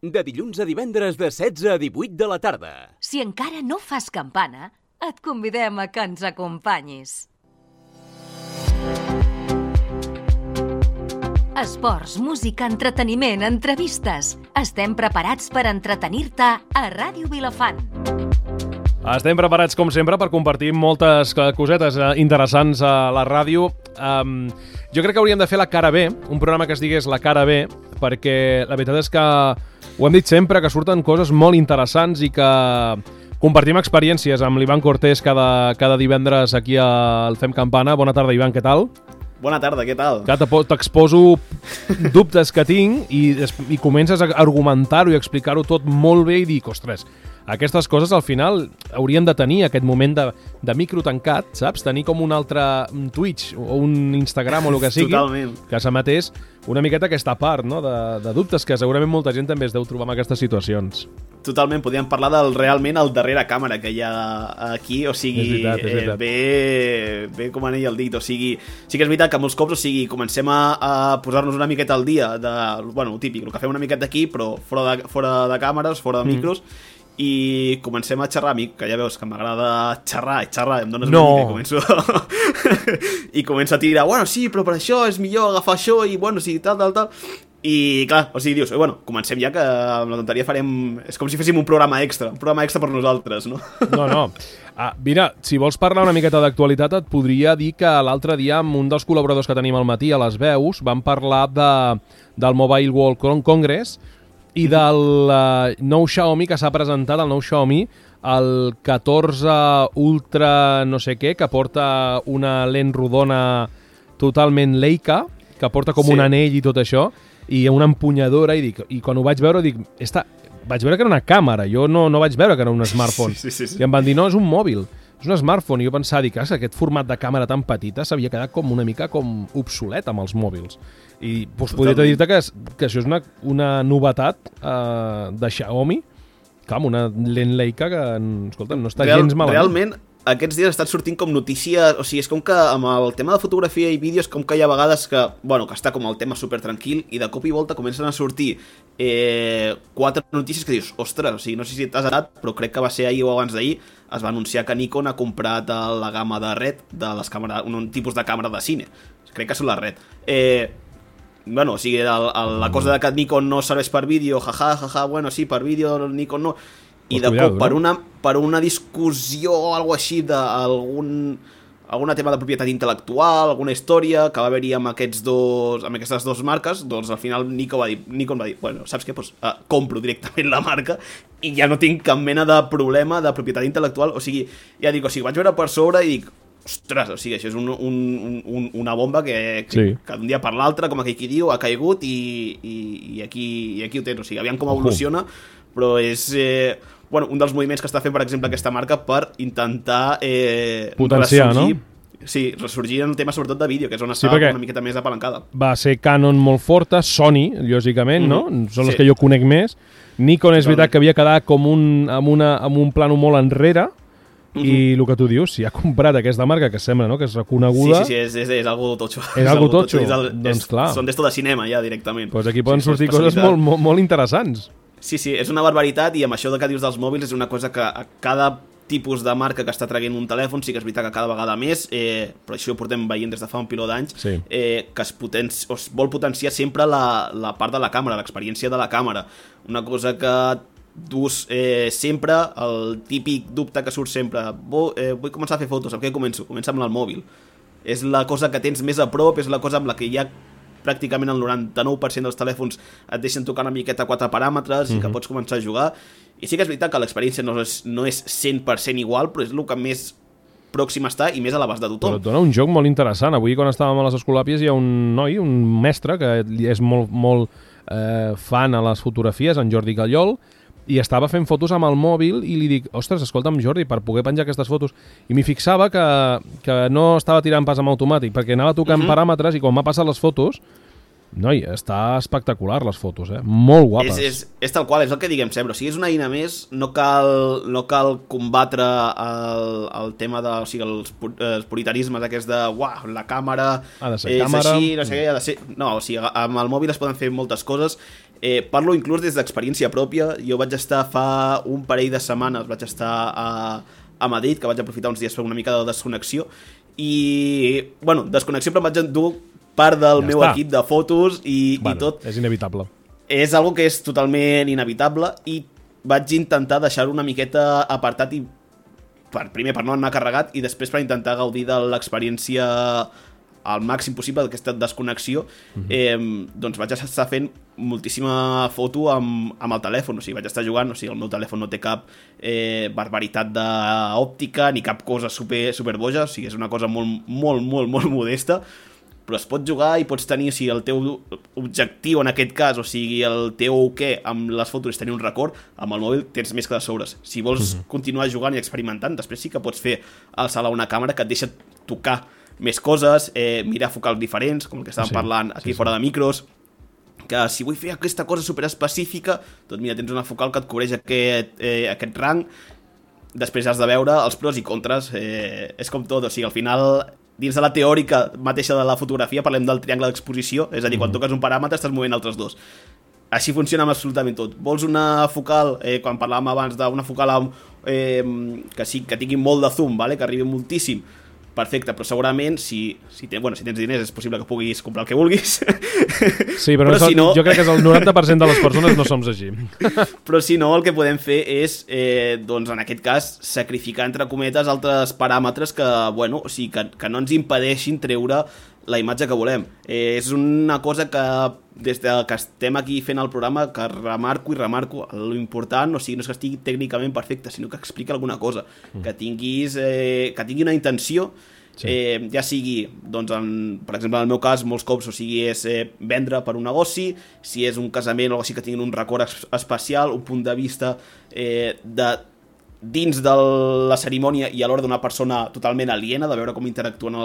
De dilluns a divendres de 16 a 18 de la tarda. Si encara no fas campana, et convidem a que ens acompanyis. Esports, música, entreteniment, entrevistes. Estem preparats per entretenir-te a Ràdio Vilafant. Estem preparats, com sempre, per compartir moltes cosetes interessants a la ràdio. Jo crec que hauríem de fer la cara B, un programa que es digués la cara B, perquè la veritat és que ho hem dit sempre, que surten coses molt interessants i que compartim experiències amb l'Ivan Cortés cada divendres aquí al Fem Campana. Bona tarda, Ivan, què tal? Bona tarda, què tal? T'exposo dubtes que tinc i comences a argumentar-ho i explicar-ho tot molt bé i dic, ostres, aquestes coses al final haurien de tenir aquest moment de micro tancat, saps? Tenir com un altre Twitch o un Instagram o el que sigui. Totalment. Que s'emetés una miqueta aquesta part, no? de dubtes que segurament molta gent també es deu trobar en aquestes situacions. Totalment, podríem parlar realment el darrere càmera que hi ha aquí, o sigui, és veritat. Bé com anell el dit, o sigui, sí que és veritat que molts cops, o sigui, comencem a posar-nos una miqueta al dia bueno, el típic, el que fem una miqueta aquí, però fora de càmeres, fora de micros, i comencem a xerrar. A mi, que ja veus que m'agrada xerrar, em dones una mica i començo i començo a tirar, bueno, sí, però per això és millor agafar això i bueno, sí, tal i clar, o sigui, dius, bueno, comencem ja que amb la tonteria és com si féssim un programa extra per nosaltres, no? No. Mira, si vols parlar una miqueta d'actualitat, et podria dir que l'altre dia amb un dels col·laboradors que tenim al matí a les veus vam parlar del Mobile World Congress i del nou Xiaomi que s'ha presentat, el nou Xiaomi, el 14 Ultra no sé què, que porta una lent rodona totalment Leica, que porta com un anell i tot això, i una empunyadora, i quan ho vaig veure dic, vaig veure que era una càmera, jo no vaig veure que era un smartphone. Sí. I em van dir, no, és un mòbil, és un smartphone, i jo pensava, dic, aquest format de càmera tan petita s'havia quedat com una mica com obsolet amb els mòbils. I podria dir-te que això és una novetat de Xiaomi, clar, amb una lent Leica que, escolta'm, no està gens malament. Realment, aquests dies ha estat sortint com notícies, o sigui, és com que amb el tema de fotografia i vídeos, com que hi ha vegades que està com el tema super tranquil i de cop i volta comencen a sortir 4 notícies que dius, ostres, o sigui, no sé si t'has anat, però crec que va ser ahir o abans d'ahir, es va anunciar que Nikon ha comprat la gamma de RED, de les càmeres, un tipus de càmera de cine, crec que són la RED. Bueno, o sigui, la cosa de que Nikon no serveix per vídeo, jaja, bueno, sí, per vídeo Nikon no, i de cop per una discussió o alguna així d'algun tema de propietat intel·lectual, alguna història que va haver-hi amb aquestes dues marques, doncs al final Nikon va dir, bueno, saps què? Pues, compro directament la marca i ja no tinc cap mena de problema de propietat intel·lectual, o sigui, ja dic, vaig veure per sobre i dic, ostres, o sigui, això és una bomba que d'un dia per l'altre, com aquell qui diu, ha caigut i aquí ho tens, o sigui, aviam com evoluciona, però és un dels moviments que està fent, per exemple, aquesta marca per intentar potenciar, ressorgir, no? Sí, ressorgir en el tema sobretot de vídeo, que és on està una miqueta més apalancada. Va ser Canon molt forta, Sony, lògicament, no? Són les que jo conec més. Nikon és veritat que havia quedat com amb un plano molt enrere, i el que tu dius, si ha comprat aquesta marca que sembla, no?, que és reconeguda... Sí, és algo totxo. És algo totxo, doncs clar. Són d'esto de cinema ja directament. Doncs aquí poden sortir coses molt interessants. Sí, és una barbaritat, i amb això que dius dels mòbils és una cosa que a cada tipus de marca que està traient un telèfon, sí que és veritat que cada vegada més, però això ho portem veient des de fa un piló d'anys, que es vol potenciar sempre la part de la càmera, l'experiència de la càmera. Una cosa que dus sempre, el típic dubte que surt sempre, vull començar a fer fotos, amb què començo? Comença amb el mòbil. És la cosa que tens més a prop, és la cosa amb la que ja pràcticament el 99% dels telèfons et deixen tocar una miqueta 4 paràmetres i que pots començar a jugar. I sí que és veritat que l'experiència no és 100% igual, però és el que més pròxim està i més a l'abast de tothom. Però et dona un joc molt interessant. Avui, quan estàvem a les Escolàpies, hi ha un noi, un mestre, que és molt fan a les fotografies, en Jordi Gallol, i estava fent fotos amb el mòbil i li dic, ostres, escolta'm, Jordi, per poder penjar aquestes fotos. I m'hi fixava que no estava tirant pas amb automàtic, perquè anava tocant paràmetres i quan m'ha passat les fotos, noi, està espectacular les fotos, molt guapes. És tal qual, és el que diguem sempre, o sigui, és una eina més, no cal combatre el tema de, o sigui, els puritarismes aquests de, la càmera ha de ser és càmera, així, no sé què, ha de ser... No, o sigui, amb el mòbil es poden fer moltes coses. Parlo inclús des d'experiència pròpia. Jo vaig estar fa un parell de setmanes, vaig estar a Madrid, que vaig aprofitar uns dies per una mica de desconnexió, i, bueno, desconnexió, però em vaig endur part del meu equip de fotos i tot. És inevitable. És algo que és totalment inevitable i vaig intentar deixar-ho una miqueta apartat i primer per no anar carregat i després per intentar gaudir de l'experiència al màxim possible d'aquesta desconnexió. Doncs vaig estar fent moltíssima foto amb el telèfon, o sigui, vaig estar jugant, o sigui, el meu telèfon no té cap barbaritat d'òptica ni cap cosa super boja, o sigui, és una cosa molt modesta, però es pot jugar i pots tenir, o sigui, el teu objectiu en aquest cas, o sigui, el teu amb les fotos és tenir un record, amb el mòbil tens més que de sobres. Si vols continuar jugant i experimentant, després sí que pots fer alçar una càmera que et deixa tocar més coses, mirar focals diferents, com el que estàvem parlant aquí fora de micros, que si vull fer aquesta cosa superespecífica, doncs mira, tens una focal que et cobreix aquest rang, després has de veure els pros i contres, és com tot, o sigui, al final, dins de la teòrica mateixa de la fotografia, parlem del triangle d'exposició, és a dir, quan toques un paràmetre estàs movent altres dos. Així funciona amb absolutament tot. Vols una focal, quan parlàvem abans d'una focal que tingui molt de zoom, que arribi moltíssim, perfecte, però segurament si tens diners és possible que puguis comprar el que vulguis. Sí, però si no, jo crec que el 90% de les persones no som així. Però si no, el que podem fer és, doncs en aquest cas, sacrificar, entre cometes, altres paràmetres que no ens impedeixin treure la imatge que volem. És una cosa que des que estem aquí fent el programa que remarco, l'important, o sigui, no és que estigui tècnicament perfecte, sinó que expliqui alguna cosa, que tingui una intenció, ja sigui, doncs, per exemple, en el meu cas, molts cops, o sigui, és vendre per un negoci, si és un casament o així que tinguin un record especial, un punt de vista dins de la cerimònia i alhora d'una persona totalment aliena, de veure com interactuen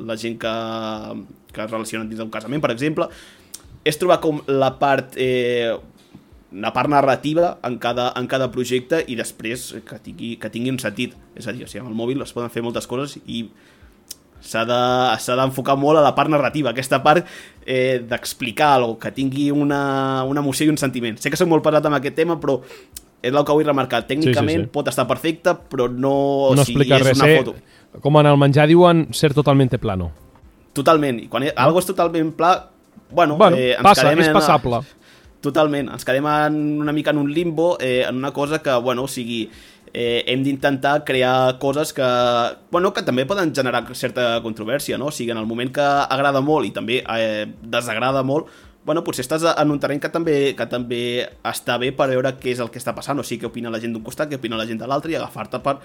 la gent que es relacionen dins d'un casament, per exemple. És trobar com la part narrativa en cada projecte i després que tingui un sentit. És a dir, amb el mòbil es poden fer moltes coses i s'ha d'enfocar molt a la part narrativa, aquesta part d'explicar alguna cosa, que tingui una emoció i un sentiment. Sé que soc molt pesat amb aquest tema, però és el que vull remarcar. Tècnicament pot estar perfecte, però no explica res. Una foto. Com en el menjar diuen, ser totalmente plano. Totalment. I quan algo és totalment pla, és passable. Totalment. Ens quedem una mica en un limbo, en una cosa que, hem d'intentar crear coses que també poden generar certa controvèrsia, no? O sigui, en el moment que agrada molt i també desagrada molt, potser estàs en un terreny que també està bé per veure què és el que està passant, o sigui, què opina la gent d'un costat, què opina la gent de l'altre, i agafar-te per...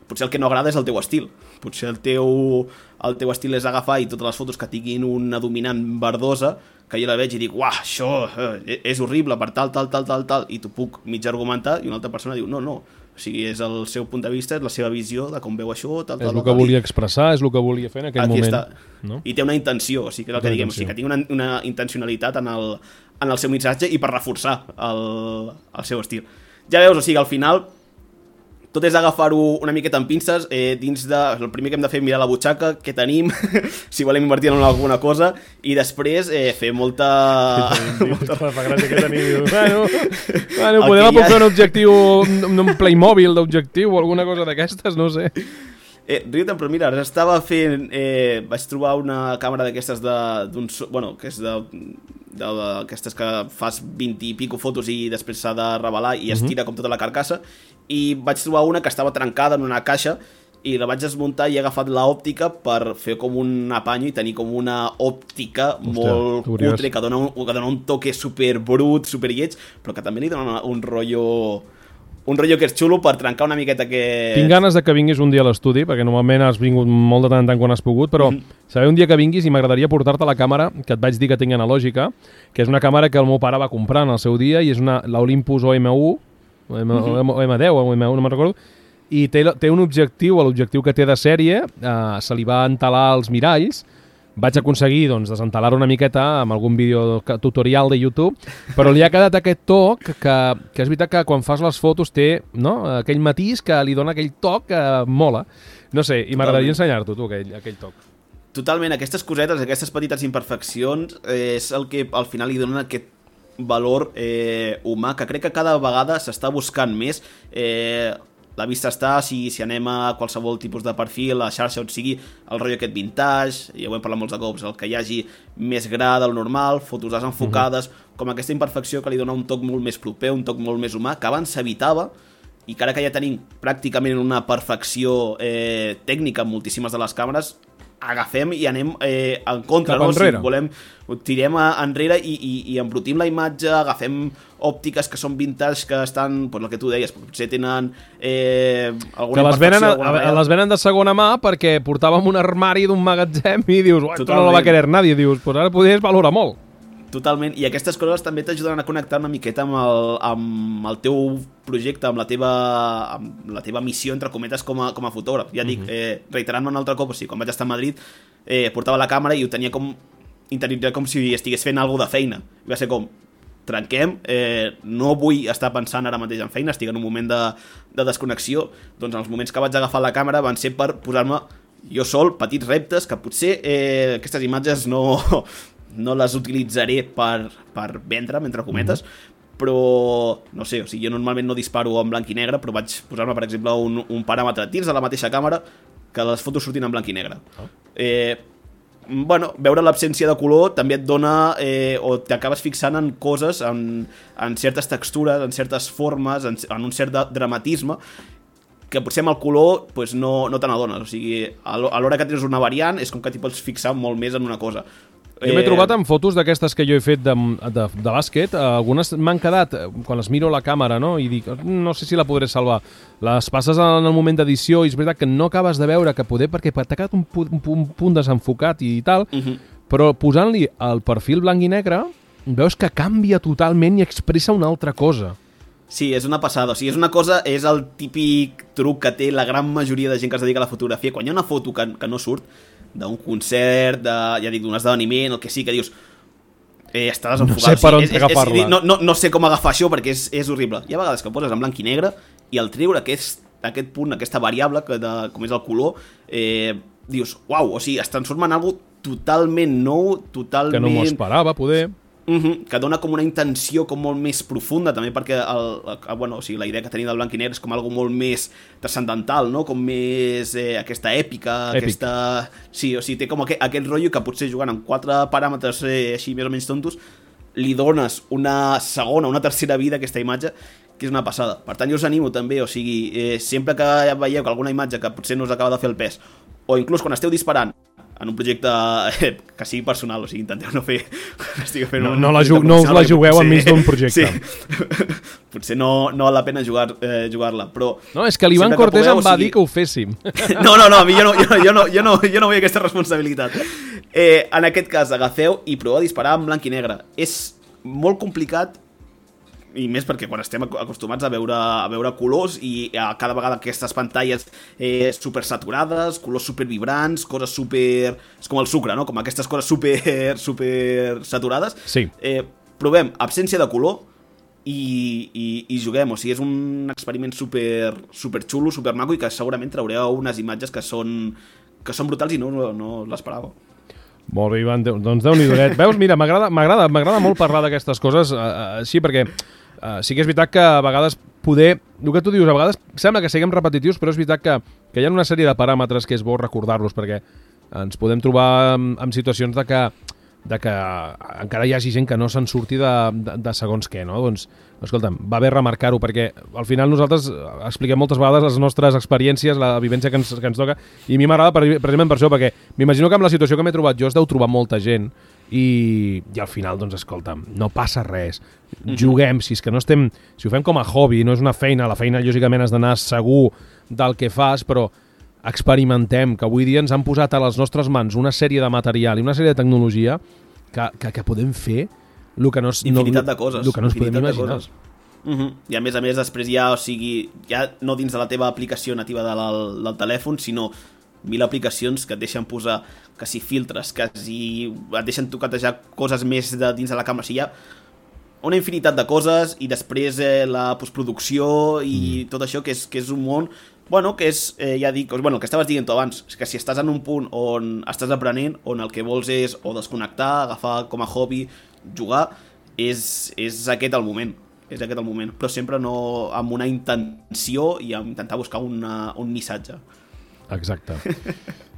Potser el que no agrada és el teu estil. Potser el teu estil és agafar i totes les fotos que tinguin una dominant verdosa, que jo la veig i dic, uah, això és horrible per tal, i t'ho puc mig argumentar, i una altra persona diu, no. O sigui, és el seu punt de vista, és la seva visió de com veu això, tal. És el que volia expressar, és el que volia fer en aquell moment. No? I té una intenció, o sigui, que és el que diguem, o sigui, que tingui una intencionalitat en el seu missatge i per reforçar el seu estil. Ja veus, o sigui, al final tot és agafar-ho una miqueta amb pinces, dins de... El primer que hem de fer és mirar la butxaca, què tenim, si volem invertir en alguna cosa, i després fer molta... Fa gràcia que tenim. Bueno, podem apuntar un objectiu, un Playmobil d'objectiu o alguna cosa d'aquestes, no sé. Riu-te'n, però mira, estava fent... vaig trobar una càmera d'aquestes que és d'aquestes que fas 20 i pico fotos i després s'ha de revelar i es tira com tota la carcassa, i vaig trobar una que estava trencada en una caixa i la vaig desmuntar i he agafat l'òptica per fer com un apanyo i tenir com una òptica molt cutre que dona un toque super brut, super lleig, però que també li dona un rotllo que és xulo per trencar una miqueta que... Tinc ganes de que vinguis un dia a l'estudi, perquè normalment has vingut molt de tant en tant quan has pogut, però saber un dia que vinguis i m'agradaria portar-te la càmera que et vaig dir que tinc analògica, que és una càmera que el meu pare va comprar en el seu dia i és l'Olympus OM1, o M10 o M1, no me'n recordo, i té un objectiu, l'objectiu que té de sèrie, se li va entalar als miralls. Vaig aconseguir desentelar-ho una miqueta amb algun vídeo tutorial de YouTube, però li ha quedat aquest toc que és veritat que quan fas les fotos té aquell matís que li dona aquell toc que mola. No sé, i m'agradaria ensenyar-t'ho, tu, aquell toc. Totalment, aquestes cosetes, aquestes petites imperfeccions és el que al final li donen aquest valor humà, que crec que cada vegada s'està buscant més. La vista està, si anem a qualsevol tipus de perfil, a xarxa on sigui el rotllo aquest vintage, ja ho hem parlat molts de cops, el que hi hagi més gra del normal, fotos desenfocades, com aquesta imperfecció que li dona un toc molt més proper, un toc molt més humà, que abans s'evitava, i que ara que ja tenim pràcticament una perfecció tècnica en moltíssimes de les càmeres, agafem i anem en contra, no? Si volem, tirem enrere i embrutim la imatge, agafem òptiques que són vintage, que estan, el que tu deies, potser tenen alguna imperfecció. Que les venen de segona mà perquè portàvem un armari d'un magatzem i dius, esto no lo va a querer nadie, dius, pues ara podries valorar molt. Totalment, i aquestes coses també t'ajuden a connectar una miqueta amb el teu projecte, amb la teva missió, entre cometes, com a fotògraf. Ja dic, reiterant-me un altre cop, o sigui, quan vaig estar a Madrid, portava la càmera i ho tenia interioritzat com si estigués fent alguna de feina. I va ser com, trenquem, no vull estar pensant ara mateix en feina, estic en un moment de desconnexió. Doncs els moments que vaig agafar la càmera van ser per posar-me jo sol petits reptes, que potser aquestes imatges no les utilitzaré per vendre, entre cometes, però no sé, o sigui, jo normalment no disparo en blanc i negre, però vaig posar-me, per exemple, un paràmetre dins de la mateixa càmera que les fotos surtin en blanc i negre. Veure l'absència de color també et dona, o t'acabes fixant en coses, en certes textures, en certes formes, en un cert dramatisme, que potser amb el color no te n'adones. O sigui, a l'hora que tens una variant és com que t'hi pots fixar molt més en una cosa. Jo m'he trobat amb fotos d'aquestes que jo he fet de bàsquet, algunes m'han quedat, quan les miro a la càmera, no? I dic, no sé si la podré salvar. Les passes en el moment d'edició i és veritat que no acabes de veure que poder, perquè t'ha quedat un punt desenfocat i tal, però posant-li el perfil blanc i negre, veus que canvia totalment i expressa una altra cosa. Sí, és una passada, o sigui, és el típic truc que té la gran majoria de gent que es dedica a la fotografia. Quan hi ha una foto que no surt, d'un concert, d'un esdeveniment, el que sí, que dius, està desenfocat. No sé per on agafar-la. No sé com agafar això perquè és horrible. Hi ha vegades que poses en blanc i negre i al treure aquest punt, aquesta variable, com és el color, dius, uau, o sigui, es transforma en algo totalment nou, totalment... Que no m'ho esperava, poder... que dona com una intenció com molt més profunda, també perquè o sigui, la idea que tenim del blanc i negre és com algo molt més transcendental, no? Com més aquesta èpica, aquesta... Sí, o sigui, té com aquest rotllo que potser jugant amb 4 paràmetres així més o menys tontos li dones una segona, una tercera vida a aquesta imatge, que és una passada. Per tant, jo us animo també, o sigui, sempre que veieu que alguna imatge que potser no us acaba de fer el pes, o inclús quan esteu disparant en un projecte que sigui personal, o sigui, intenteu no fer... No us la jugueu enmig d'un projecte. Sí. Potser no val la pena jugar-la, però... No, és que l'Ivan Cortés em va dir que ho féssim. No, a mi jo no vull aquesta responsabilitat. En aquest cas, agafeu i proveu a disparar en blanc i negre. És molt complicat, i més perquè quan estem acostumats a veure colors i cada vegada aquestes pantalles super saturades, colors super vibrants, coses super... És com el sucre, no? Com aquestes coses super saturades. Sí. Provem absència de color i juguem. O sigui, és un experiment super xulo, super maco i que segurament traureu unes imatges que són brutals i no l'esperàveu. Molt bé, Ivan, doncs Déu-n'hi-do. Veus, mira, m'agrada molt parlar d'aquestes coses així, perquè sí que és veritat que a vegades el que tu dius, a vegades sembla que siguem repetitius, però és veritat que hi ha una sèrie de paràmetres que és bo recordar-los, perquè ens podem trobar en situacions de que encara hi hagi gent que no se'n surti de segons què, no? Doncs, escolta'm, va bé remarcar-ho, perquè al final nosaltres expliquem moltes vegades les nostres experiències, la vivència que ens toca, i a mi m'agrada precisament per això, perquè m'imagino que amb la situació que m'he trobat jo es deu trobar molta gent, i al final, doncs, escolta'm, no passa res. Juguem, si és que no estem... Si ho fem com a hobby, no és una feina, la feina lògicament has d'anar segur del que fas, però experimentem, que avui dia ens han posat a les nostres mans una sèrie de material i una sèrie de tecnologia que podem fer el que no es podem imaginar. I a més, després ja, o sigui, ja no dins de la teva aplicació nativa del telèfon, sinó 1000 aplicacions que et deixen posar que si filtres, que si et deixen toquetejar coses més dins de la càmera. O sigui, hi ha una infinitat de coses i després la postproducció i tot això, que és un món, que és, ja dic, el que estaves dient tu abans, que si estàs en un punt on estàs aprenent, on el que vols és o desconnectar, agafar com a hobby, jugar, és aquest el moment. És aquest el moment, però sempre no amb una intenció i amb intentar buscar un missatge. Exacte.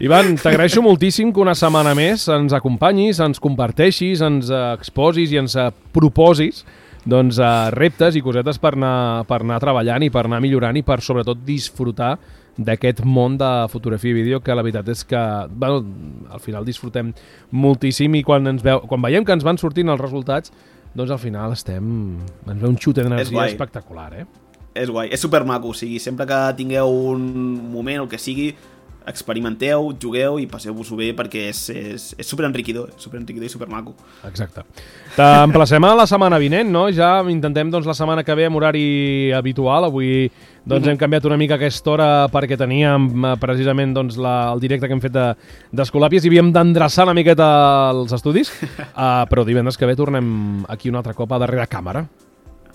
Ivan, t'agraeixo moltíssim que una setmana més ens acompanyis, ens comparteixis, ens exposis i ens proposis doncs, reptes i cosetes per anar treballant i per anar millorant i per sobretot disfrutar d'aquest món de fotografia i vídeo que la veritat és que bueno, al final disfrutem moltíssim i quan veiem que ens van sortint els resultats doncs al final ens ve un xut d'energia espectacular, És guai, és supermaco, o sigui, sempre que tingueu un moment o el que sigui, experimenteu, jugueu i passeu-vos-ho bé perquè és superenriquidor i supermaco. Exacte. T'emplacem a la setmana vinent, no? Ja intentem doncs, la setmana que ve amb horari habitual. Avui doncs, hem canviat una mica aquesta hora perquè teníem precisament doncs, el directe que hem fet d'Escolàpies i havíem d'endreçar una miqueta els estudis, però divendres que ve tornem aquí un altre cop a darrere càmera.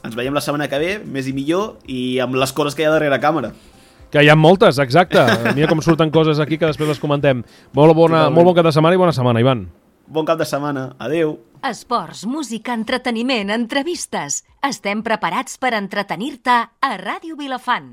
Ens veiem la setmana que ve, més i millor, i amb les coses que hi ha darrere càmera. Que hi ha moltes, exacte. Mira com surten coses aquí que després les comentem. Molt bon cap de setmana i bona setmana, Ivan. Bon cap de setmana. Adéu. Esports, música, entreteniment, entrevistes. Estem preparats per entretenir-te a Ràdio Vilafant.